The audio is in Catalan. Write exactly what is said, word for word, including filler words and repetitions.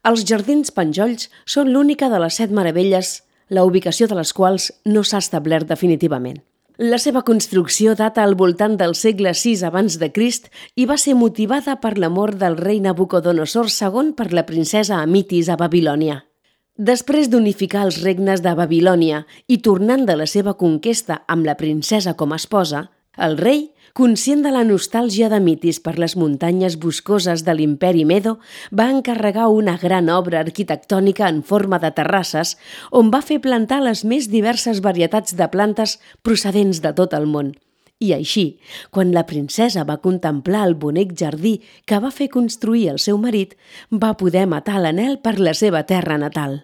Els jardins Penjolls són l'única de les set meravelles, la ubicació de les quals no s'ha establert definitivament. La seva construcció data al voltant del segle sis abans de Crist i va ser motivada per l'amor del rei Nabucodonosor segon per la princesa Amitis a Babilònia. Després d'unificar els regnes de Babilònia i tornant de la seva conquesta amb la princesa com a esposa, el rei, conscient de la nostàlgia d'Amitis per les muntanyes boscoses de l'imperi Medo, va encarregar una gran obra arquitectònica en forma de terrasses on va fer plantar les més diverses varietats de plantes procedents de tot el món. I així, quan la princesa va contemplar el bonic jardí que va fer construir el seu marit, va poder matar l'anhel per la seva terra natal.